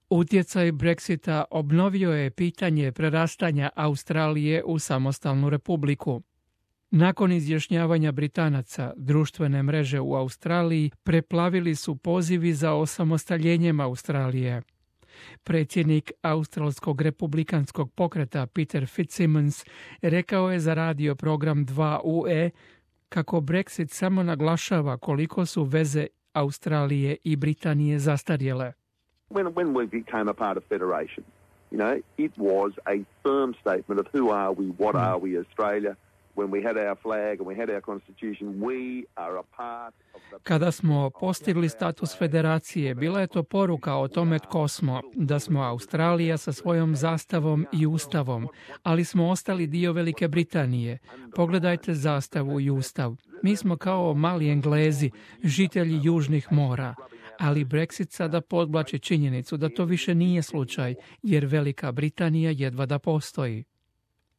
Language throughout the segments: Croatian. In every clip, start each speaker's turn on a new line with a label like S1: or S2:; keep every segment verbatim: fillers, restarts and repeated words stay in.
S1: Utjecaj Brexita obnovio je pitanje prerastanja Australije u samostalnu republiku. Nakon izjašnjavanja Britanaca, društvene mreže u Australiji preplavili su pozivi za osamostaljenjem Australije. Predsjednik australskog republikanskog pokreta Peter Fitzsimmons rekao je za radio program dva U E kako Brexit samo naglašava koliko su veze Australije i Britanije zastarjele.
S2: When, when we became a part of Federation, you know, it was a firm statement of who are we, what are we, Australia. When we had our flag and we had our constitution, we are a part of the...
S1: Kada smo postigli status federacije, bila je to poruka o tome tko smo, da smo Australija sa svojom zastavom i ustavom, ali smo ostali dio Velike Britanije. Pogledajte zastavu i ustav. Mi smo kao mali Englezi, žitelji južnih mora. Ali Brexit sada podvlači činjenicu da to više nije slučaj, jer Velika Britanija jedva da postoji.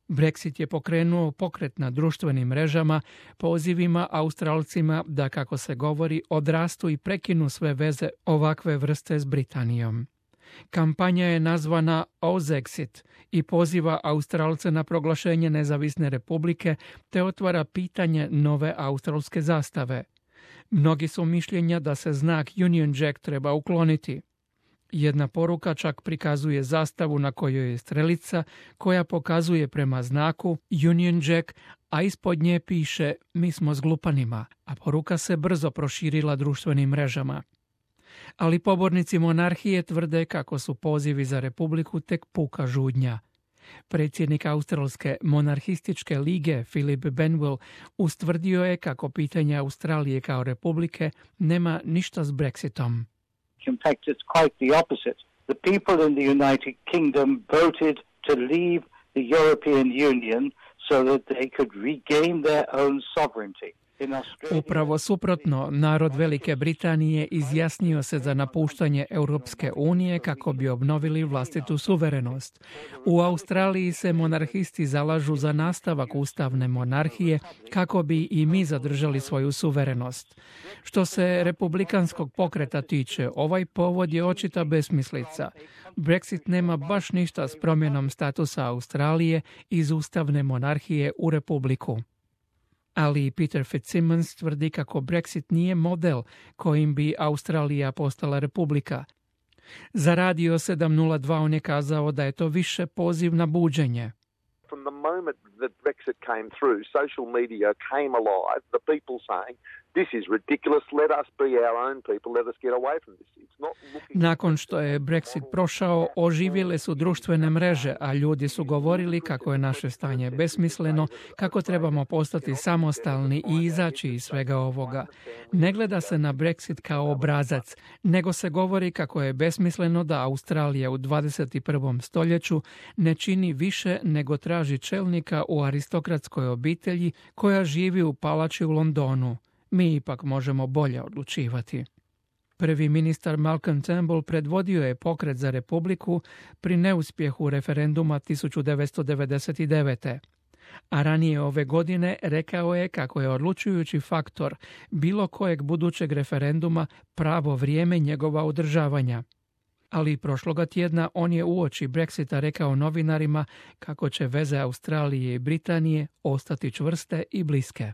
S1: Brexit je pokrenuo pokret na društvenim mrežama, pozivima Australcima da, kako se govori, odrastu i prekinu sve veze ovakve vrste s Britanijom. Kampanja je nazvana Ozexit i poziva Australce na proglašenje nezavisne republike te otvara pitanje nove australske zastave. Mnogi su mišljenja da se znak Union Jack treba ukloniti. Jedna poruka čak prikazuje zastavu na kojoj je strelica koja pokazuje prema znaku Union Jack, a ispod nje piše "Mi smo s glupanima", a poruka se brzo proširila društvenim mrežama. Ali pobornici monarhije tvrde kako su pozivi za republiku tek puka žudnja. Predsjednik Australske monarhističke lige Philip Benwell ustvrdio je kako pitanje Australije kao republike nema ništa s Brexitom.
S3: In fact, it's quite the opposite. The people in the United Kingdom voted to leave the European Union so that they could regain their own sovereignty.
S1: Upravo suprotno, narod Velike Britanije izjasnio se za napuštanje Europske unije kako bi obnovili vlastitu suverenost. U Australiji se monarhisti zalažu za nastavak ustavne monarhije kako bi i mi zadržali svoju suverenost. Što se republikanskog pokreta tiče, ovaj povod je očita besmislica. Brexit nema baš ništa s promjenom statusa Australije iz ustavne monarhije u republiku. Ali Peter Fitzsimmons tvrdi kako Brexit nije model kojim bi Australija postala republika. Za radio sedam nula dva on je kazao da je to više poziv na buđenje.
S2: From the moment that Brexit came through, social media came alive, the people saying, this is ridiculous, let us be our own people, let us get away from this. It's not looking...
S1: Nakon što je Brexit prošao, oživjele su društvene mreže, a ljudi su govorili kako je naše stanje besmisleno, kako trebamo postati samostalni i izaći iz svega ovoga. Ne gleda se na Brexit kao obrazac, nego se govori kako je besmisleno da Australija u dvadeset prvom stoljeću ne čini više nego traži čelnika u aristokratskoj obitelji koja živi u palači u Londonu. Mi ipak možemo bolje odlučivati. Prvi ministar Malcolm Turnbull predvodio je pokret za republiku pri neuspjehu referenduma tisuću devetsto devedeset devete. A ranije ove godine rekao je kako je odlučujući faktor bilo kojeg budućeg referenduma pravo vrijeme njegova održavanja. Ali prošloga tjedna on je uoči Brexita rekao novinarima kako će veze Australije i Britanije ostati čvrste i bliske.